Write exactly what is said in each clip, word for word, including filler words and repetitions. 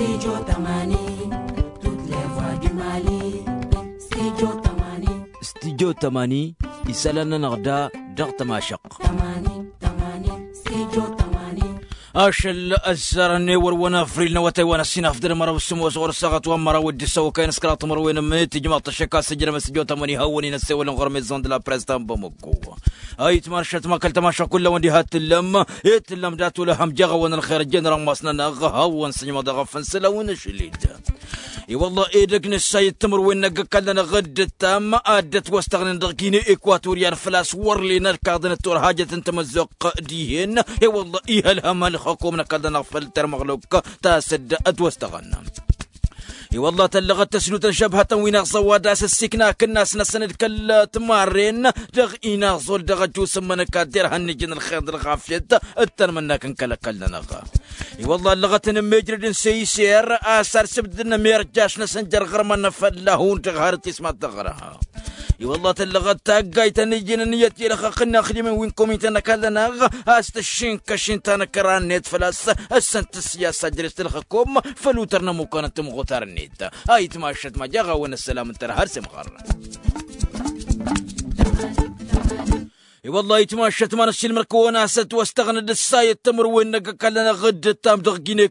Studio tămani. Tut levwa du mali. Studio tămani. Studio tămani. Isălan-nănăɣ da dăɣ-tămašăɣt. Tămani. Tămani. Studio tămani. Ašăl ăzzarăn ewăr wăn afril n-awătay wa n-ăssinafdăr măraw s-sămoos ɣur-săɣăt wa n-măraw d-issăwăkăyăn s-kăraḍ timărwen n-tijmaḍ tăššăk a-s ǝjrămăn s-tijmaḍ tămani hawăn-in ăssewălăn ɣur-mezon d-la press ta n-bamăggo. Ayǝtman šătma kăl-tămašăɣ kull-awăn diha t-tǝllăm. Itǝllăm dat-wăla ham jaɣ-awăn ălxer ăjjeen rămmas-nănăɣ hawăn-sǝjmăḍ eɣăf n-sălawăn ašăl-dd. I-wălla edăgg n-ǝssay d-timǝrwen n-ăgg-ăkall-nănăɣ dd-ǝttam ad-dd-ătwăstăɣnen dăɣ-gine ekwatoryan făl-a-s wăr len ărkaḍăn d-turhajăt n-tamăzzuɣt dihen. I-wălla ihălhăm hălxăkom n-ăkall-nănăɣ făll-termăɣlok ta s-dd-ătwăstăɣăn. I-wălla tăllăɣăt tăsdut n-šăbhătăn wi n-aẓăwad a-s ǝssikna akǝnnas-năsăn d-kăl-timarren dăɣ-inaẓol dăɣ-ăjus n-imănăk ad-derhăn n-ijǝn ălxer d-ălɣafyăt d-tanmănnak n-kăl-ăkall-nănăɣ. I-wălla ăllăɣăt n-ămmijrăd n-săyser a-s arsǝbdǝdăn ămirjaš-năsăn jer-iɣărman n-afălla hundăɣ har tismat dăɣ-răha. I-wălla tăllăɣăt taggayt ta n-ijǝn ǝnniyăt i-ălxăqq n-inaxdimăn wi n-komintăn n-ăkall-nănăɣ a-s tăššinkăš-in tanăkra-net făl-a-s ăssăn tǝssǝyas ajrăš tǝlxăkom făll-utăr n-ămukan n-timɣutar-net. Ayǝtmašăt ma jaɣ-awăn ăssălam ǝntăr har s-imɣăr. I-wălla ayǝtmašăt ma n-ăssiilmăr-kăwăn a-s ătwăstăɣnăd ǝssayăt timǝrwen n-ăgg-ăkall-nănăɣ dd-ǝttam dăɣ-gine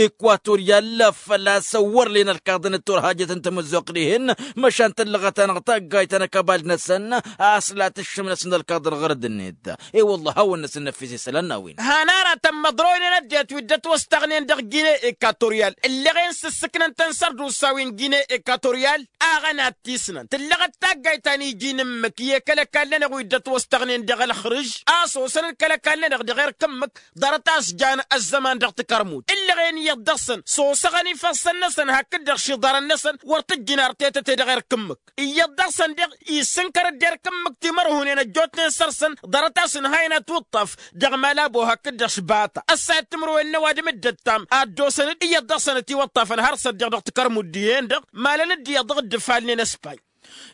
ekwatoriyal făl-a-s wăr len ălkaḍăn d-turhajăt n-tamăzzuɣt dihen. Măšan tăllăɣăt-anăɣ taggayt ta n-ăkabald-năsăn a-s la tǝššǝm-năsăn ălkaḍăn ɣărăd-net. I-wălla hawăn-năsăn năffis isălan n-a-wen. Han aratăn măḍroynen ăddinăt wi dd-ătwăstăɣnen dăɣ-gine ekatoryal ǝlleɣen s-ǝssǝknăn-tăn sărdusa wi n-gine ekatoryal. Aɣăn ad-t-isnăn tǝllăɣăt taggayt ta n-iji n-ǝmmǝk i-kăl-ăkall-nănăɣ wi dd-ătwăstăɣnen dăɣ-ălxrǝž a-s osăn-dd kăl-ăkall-nănăɣ dăɣ-erk ǝmmǝk. Ḍarăt a-s jan ăzzăman dăɣ-tikărmut ǝlleɣen iyyăḍ dăɣ-săn s-osăɣăn ifăssăn-năsăn hakd-dăɣ šiḍarăn-năsăn wăr t-ǝjjǝn artetăte dăɣ-erk ǝmmǝk. Iyyăḍ dăɣ-săn deɣ issǝnkăr-dd erk ǝmmǝk timărhunen ăjjootnen săr-săn ḍarăt a-s ǝnhayăn ătwǝṭṭaf dăɣ-malabo hakd-dăɣ šbata ăssayăt timǝrwen n-ăwadǝm dd-ăttam ad-dd-osăn-dd iyyăḍ dăɣ-săn ătiwăṭṭafăn har s-ăddiɣ dăɣ-tikărmut dihen-dăɣ. Malăn-dd iyyăḍ dăɣ-dd-ǝfalnen ăspay.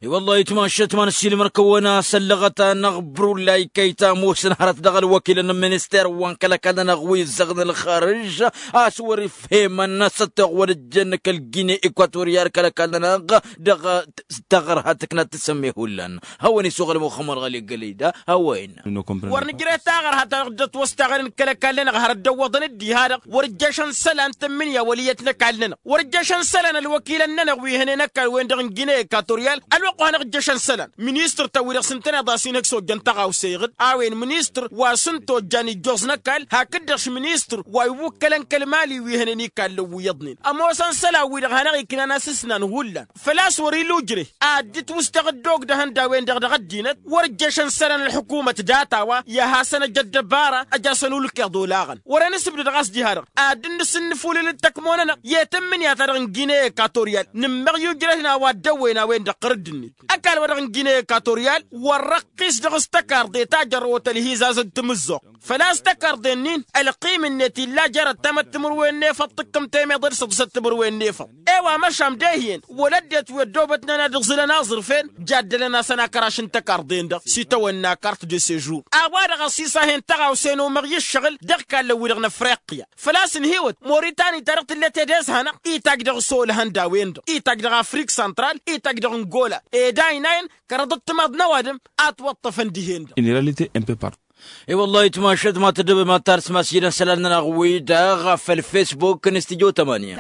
I-wăllah itmašăt ma n-ăssiilmăr-kăwăn a-s ăllăɣăt-anăɣ brulay kăyta ămoosăn hărăt dăɣ-ălwăkilăn n-minister wa n-kăl-ăkall-nănăɣ wi ǝzzăɣăn ălxărǝž a-s wăr-ifhemăn s-ăttoɣ wăr-ǝjjăn kăl-gine ekwatoriyal kăl-ăkall-nănăɣ dăɣ-taɣărha tǝknat tǝsǝmme hullan. Hawăn-isuɣǝl muxămmăr ɣăli gălăyda. Hawăn-in. Wăr nǝjreh taɣărha ta dăɣ-dd-ătwăstaɣăn n-kăl-ăkall-nănăɣ hărăt dăwwăḍăn-dd diha-dăɣ wăr-ǝjjăšăn isălan tǝmmǝnǝya wăl' iyyăt n-ăkall-nănăɣ wăr-ǝjjăšăn isălan ălwăkilăn-nănăɣ wi hănen ăkall-wen-dăɣ n-gine ekatoryal. Ălwăqq wa hanăɣ-ǝjjăšăn isălan ministăr-tăn-wi-dăɣ s-ǝntăneḍ a-s inhǝk s-ojjăn taɣawse iɣǝd a-wen ministăr wa s-ǝnta ojjan ijjoẓ n-ăkall hakd-dăɣ š-ministăr wa iwwǝkkălăn kăl-mali wi hănen ikallen wi iyyăḍnen. Ămoosăn isălan-wi-dăɣ hanăɣ-iknan a-s ǝsnan hullan făl-a-s wăr-ila ujreh ad-dd-ǝtwǝstăɣ ăddoog dăɣ-ihăndawen-dăɣ dăɣ-ăddinăt. Wăr-ǝjjăšăn isălan ălḥukumăt data-wa i-ad-hasăn-ăj ăddăbara ăj'-asăn ulkeḍ olaɣăn wăren-ǝsǝbdăd ɣas diha-dăɣ ad-dd-nǝsǝnnǝfulǝl d-tăkmo-nănăɣ i-tǝmmǝnǝya-ta-dăɣ n-gine ekatoryal. Nǝmmăɣ i-ujrăh n-a-wa dd-ăwwăyăn a-wen-dăɣ ɣărădd-net ăkall-wa-dăɣ n-gine ekatoryal wăr-răqqis dăɣ-s tăkarḍe ta jărrăwăt ălhizaz d-tamǝzzuɣt. Făl-a-s tăkarḍe-nin ălqim-net illa jer-ăttamăt timǝrwen n-efăḍ tǝkkǝm temeḍe d-săḍsăt timǝrwen n-efăḍ. E-wa măšan de-ihi-en wăla ăddinăt wi ăddoobătnen ad-ǝẓǝlăn aẓrǝf-en jaddălăn-asăn akăraš n-tăkarḍe-en-dăɣ s-itawănna kart de sežur. A-wa-dăɣ ăṣṣisahen tăɣawse n-omăɣ i-ǝššăɣǝl dăɣ-ikallăn-wi-dăɣ n-afriqya. Făl-a-s ǝnhǝywăt moritani ta dăɣ-tǝllăt ed ezhanăɣ itajj dăɣ-s olăhăn d-a-wen-dăɣ itajj dăɣ-afrik santral itajj dăɣ-angola. Ed aynayăn kăraḍăt timaḍ n-ăwadǝm a ătwăṭṭăfăn dihen-dăɣ. Une réalité un peu partout. I-wăllah itmašăt ma tăddăbem ad-tarsǝm a-s ijăn isălan-nănăɣ-wi-dăɣ făll-facebook n-studyo tămănǝya.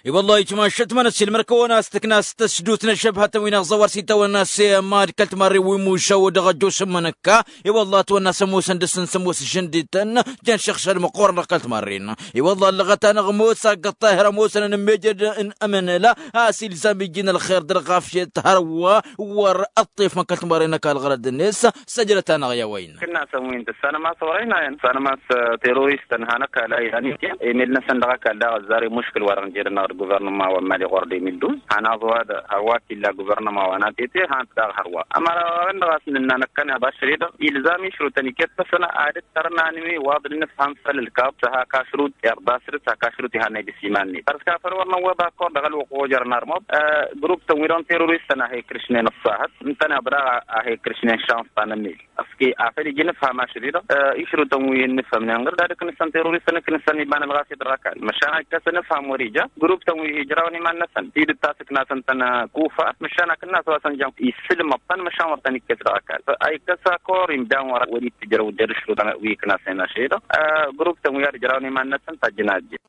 I-wăllah itmašăt ma n-ăssiilmăr-kăwăn a-s tǝkna s-tăsdut n-ăššăbhătăn wi n-aẓăwar s-itawănna s-emad kăl-timarre wi mušaw dăɣ-ăjjoos n-imănăkka. I-wăllah ătwănna s-ămoosăn dăr-săn s-ămoos žăndităn jăn šăɣšăl măqqoorăn dăɣ-kăl-timarren. I-wăllah ăllăɣăt-anăɣ ămoos aggăṭṭahir ămoosăn ănǝmmejăd n-amănăla a-s ilzam iji n-ălxer d-ălɣafyăt hărwa wăr-ăṭṭef măkkăl timarren ăkall ɣărăd-net. Săjdăt-anăɣ i-a-wa innă. Kǝnnasăn wi n-tǝssanăm a-s wăr-ăynayăn tǝssanăm a-s terorist ănhan ăkall a ilan ityan emel-năsăn dăɣ-ăkall daɣ ăzzar i-muškǝl wa dăɣ-nǝjed ănnaɣ. d-guvernăma wa n-mali ɣur-de mil duz. Han aẓ-wa-dăɣ hărwa t-illa guvernăma wa n-atete han-t daɣ hărwa ămăra-wa-dăɣ a-s nǝnna năkkăneḍ ašăl-i-dăɣ ilzam išrutăn iket-năsăn. Ad-dd-tărnan wi waḍ-dd-nǝfhăm făll-ǝlkaḍ s-hak ašrut iḍas-dd s-hak ašrut ihannăy dăɣ-s iman-net. Păr-s kafăl wăr năwwăḍ akor dăɣ-ălwăqq ojărăn armăḍ. Grupp-tăn wi dăɣ-n teroristăn a he-ikrǝšnen ăṣṣahăt ǝntăneḍ daɣ a he-ikrǝšnen šans ta n-ămmel. Ăske afăl ija inǝfham ašăl-i-dăɣ išrutăn wi n-inǝfhămnen ɣǝr d-ad-ǝknǝsăn teroristăn ǝknǝsăn iba n-ălɣas i-dd ɣăkall măšan a ikkăsăn ǝfham wăr-ija. Grupp-tăn wi hi-ǝjrawăn iman-năsăn tidǝt ta s-ǝknasăn-tăn kufa măšan akǝnnas wa s-ănjăn isǝlmăḍ-tăn măšan wăr tăn-ikkes dăɣ-ăkall a ikkăs akor imdan wăr-wăr-dd-tǝjrăw d-ad-ǝšrutăn wi ǝknasăn ašăl-i-dăɣ. Grupp-tăn wi ad-ǝjrawăn iman-năsăn tajjăn a ăjjeen.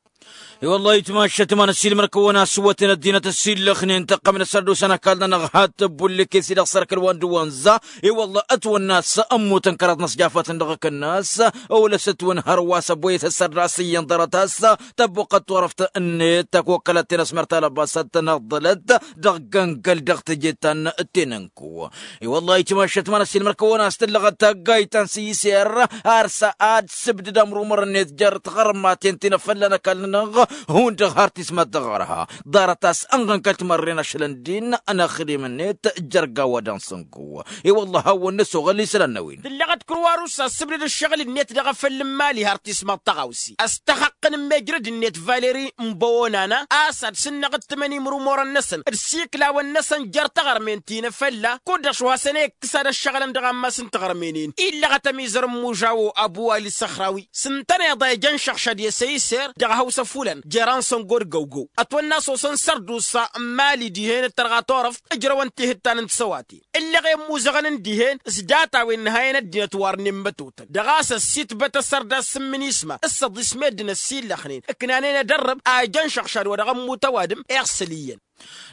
I-wăllah itmašăt ma n-ăssiilmăr-kăwăn a-s ǝwwăten ăddinăt ăssiillăxnen tăqqămnăs ărdus ănăkall-nănăɣ hat-ăbbullǝkes-i-dăɣ s-ărkăl wa n-dăwănza. I-wăllah ătwănna a-s ămmutăn kăraḍ n-ăsjafătăn dăɣ-akǝnnas. Ăwlăs ătwănhăr wa s-ăbboyăt ăssărda s-iyyăn ḍarăt a-s tăbbuqqăt turăft-net tăkokkălăt-ten ăsmăr talăbasăt tănăḍḍălăt dăɣ-găngăl dăɣ-teje ta n-tenănku. I-wăllah itmašăt ma n-ăssiilmăr-kăwăn a-s tǝllăɣăt taggayt ta n-săyser. Ar s-ad-sǝbdǝd amrumăr-net jer-tiɣărmaten ti n-afălla n-ăkall-nănăɣ hundăɣ har tismat dăɣ-arha ḍarăt a-s ănɣăn kăl-timărren ašăl ăndin ănăxdem-net. Jer-gawa d-ansǝnku i-wăllah hawăn-năsoɣăl isălan n-a-wen. Tǝllăɣăt kăr-wa rusa ăssǝbdǝd ǝššăɣǝl-net dăɣ-afăl n-imali har tismat tăɣawse ăstăxăqqăn n-mejrăd-net valeri n-băwonana a-s ad-sǝnnăɣ d-tǝmăn imrumorăn-năsăn d-siklawăn-năsăn jer-taɣărmen ti n-afălla kud-dăɣ šuhasăn e-ikkǝs ad-ăššăɣǝlăn dăɣ-ammas n-taɣărmen-in. Illăɣăt ămizăr n-imužawo abuwali s-ăxrawi s-ǝntăneḍ a ijăn šăɣšăd i-săyser dăɣ-hawsa fulăn jer-ansăngo d-găwgăw ătwănna a-s osăn sărdusa n-mali dihen d-tărɣa turăft ǝjrăwăn tihǝttan n-tisăwaten. Ǝllăɣ i-ămmuzăɣăn n-dihen s-data-wen n-ha-en ăddinăt warnen mătotăn dăɣ-a-s ăssitbăt asărdas s-imminisma s-săḍis meddǝn ăssiillăxnen ǝknanen edărrăb a ijăn šăɣšad wa dăɣ-ămmut ăwadǝm iɣsăl iyyăn.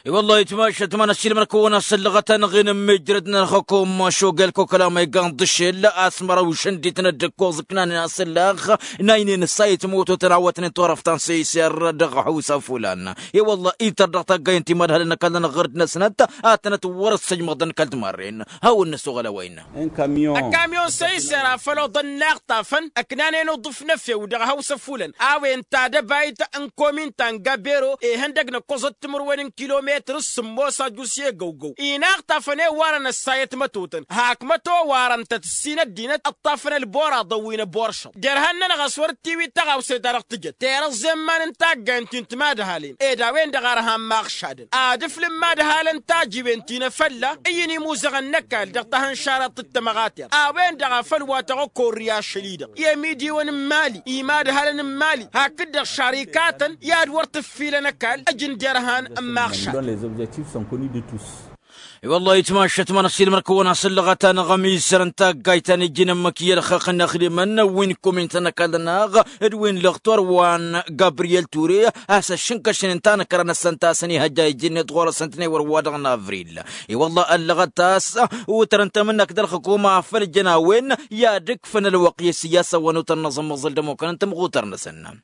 I-wăllah itmašăt ma n-ăssiilmăr-kăwăn a-s ăllăɣăt-anăɣ-en n-mejrăd n-ălxukum šogel koklama igan ḍǝšel a-s măraw šăndităn dd-ǝkkoẓ ǝknanen asǝllaɣ n-aynen ǝssayǝt mototăn a wătnen turăft ta n-săyser dăɣ-hawsa fulan. I-wăllah ităr dăɣ-taggay n-timadhălăn n-ăkall-nănăɣ ɣǝr-dd-năsnăt ad-tănăt wăr-ăssăjmăḍăn kăl-timarren. Hawăn-năsoɣăl a-wa innă. Ăkkamyon săyser a făl oḍăn inaɣtafăn ăknanen uḍǝf n-efew dăɣ-hawsa fulăn a-wen tadăbayt n-komin ta n-gabero ihăndăg n-ăkkoẓăt timǝrwen n-kilometăr s-sǝmmos ajus i-egăwgăw inaɣtafăn i-warăn ăssayăt mătotăn hak măto warăn-tăt ǝssin ăddinăt ǝṭṭafăn ălboraḍăn wi n-ăboršăḍ derhan-nănăɣ a-s wăr t-iwi tăɣawse-ta-dăɣ tǝjăt terăẓẓe n-iman n-taggayăn ti n-timadhalin ed a-wen-dăɣ a ărhan maɣšadăn ad-ǝflǝm imadhalăn tajiwen ti n-efălla ǝyyǝn imuzăɣăn n-ăkall dăɣ-tahǝnšaraḍt d-tămăɣater a-wen-dăɣ a făl wa tăɣ-ăkorri ašăl-i-dăɣ i-ămidiwăn n-imali imadhalăn n-imali hakd-dăɣ šarikatăn i-ad-wăr t-ǝffilăn ăkall ǝjǝn derhan n-maɣšad. I-wăllah itmašăt ma n-ăssiilmăr-kăwăn a-s ǝllăɣăt-anăɣ ămizăr n-taggayt ta n-iji n-ǝmmǝk i-ălxăqq n-ăxdimăn wi n-kumin ta n-ăkall-nănăɣ d-wi n-lăxtor wa n-gabriyel ture a-s ăššǝnkăšnen tanăkra-năsăn ta s-ănihăjja iji-net ɣur-săn tănewăr wa dăɣ-n avril. I-wăllah ăllăɣăt-as utăr n-tamǝnnakt d-ălxǝkum a făl jăn a-wen i-ad-ǝkfăn ălwăqq i-sǝyyasăn wa n-utăr n-aẓǝmmăẓǝl d-ămmukăn n-tamɣutăr-năsăn.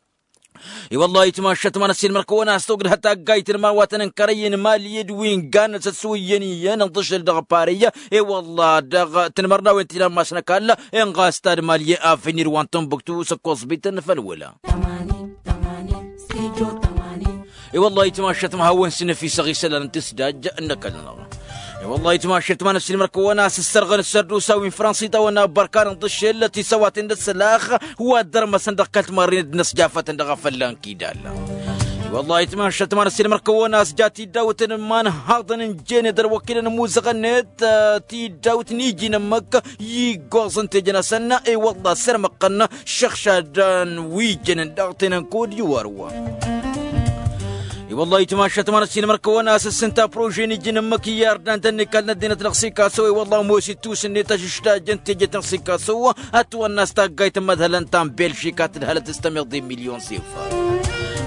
I-wăllah itmašăt ma n-ăssiilmăr-kăwăn a-s togdăh taggayt n-iman wa tăn-ǝnkărăyăn mali d-wi n-gannăt s-ăssuyăn iyyăn ǝnḍǝšǝl dăɣ-pariy. I-wăllah dăɣ-tǝnmărnawen ti n-ammas n-ăkall inɣas ta d-mali afinir wa n-tunbuktu s-ăkkoẓbităn făll-wăla. I-wăllah itmašăt ma hawăn-sǝnăfisăɣ isălan n-tǝsdaj n-ăkall-nănăɣ. I-wăllah itmašăt ma n-ăssiilmăr-kăwăn a-s ǝssărɣăn ǝssărdusa wi n-fransiṭawăn abbărkan ǝnḍǝšel tisăwaten d-ăssălax wa dd-ărmăsăn dăɣ-kăl-timarren d-inăsjafătăn dăɣ-afălla n-kidal. I-wăllah itmašăt ma n-ăssiilmăr-kăwăn a-s ja tiddawt n-iman haḍăn ǝnjen d-ălwăkilăn ămuzăɣ-net tiddawt n-iji n-ǝmmǝk iggoẓ n-tejnăsăn. I-wăllah sărmăqqăn šăɣšadăn wi jănen dăɣ-tenănkud iwar-wa. I-wăllah itmašăt ma n-ăssiilmăr-kăwăn a-s ǝssǝnta prože n-iji n-ǝmmǝk i-ardan tăn-ikal n-ăddinăt dăɣ-sikaso. I-wăllah ămoos ittus-net ašǝšdajăn teje ta n-sikaso ătwănna a-s taggayt n-imădhălăn ta n-belžika tǝdhălăt s-tămiḍe n-milyon s-ifa.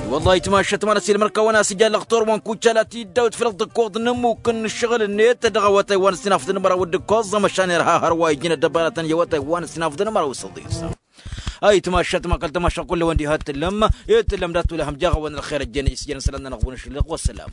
I-wăllah itmašăt ma n-ăssiilmăr-kăwăn a-s ija lăxtor wa n-kucala tiddawt făll-ăḍḍǝkkoḍ n-ămmuk n-ǝššăɣǝl-net dăɣ-awătay wa n-ǝssinafḍăn măraw d-ǝkkoẓ măšan irha hărwa iji n-ăddăbaratăn i-awătay wa n-ǝssinafḍăn măraw s-ăḍis. Ayǝtmašat ma kăl-tamašat kull-ăwăn diha t-tǝllăm i-tǝllăm dat-tulahăm jaɣ-awăn ălxer ăjjeen isjăn isălan-nănăɣ bunăšlăɣ wa-sălam.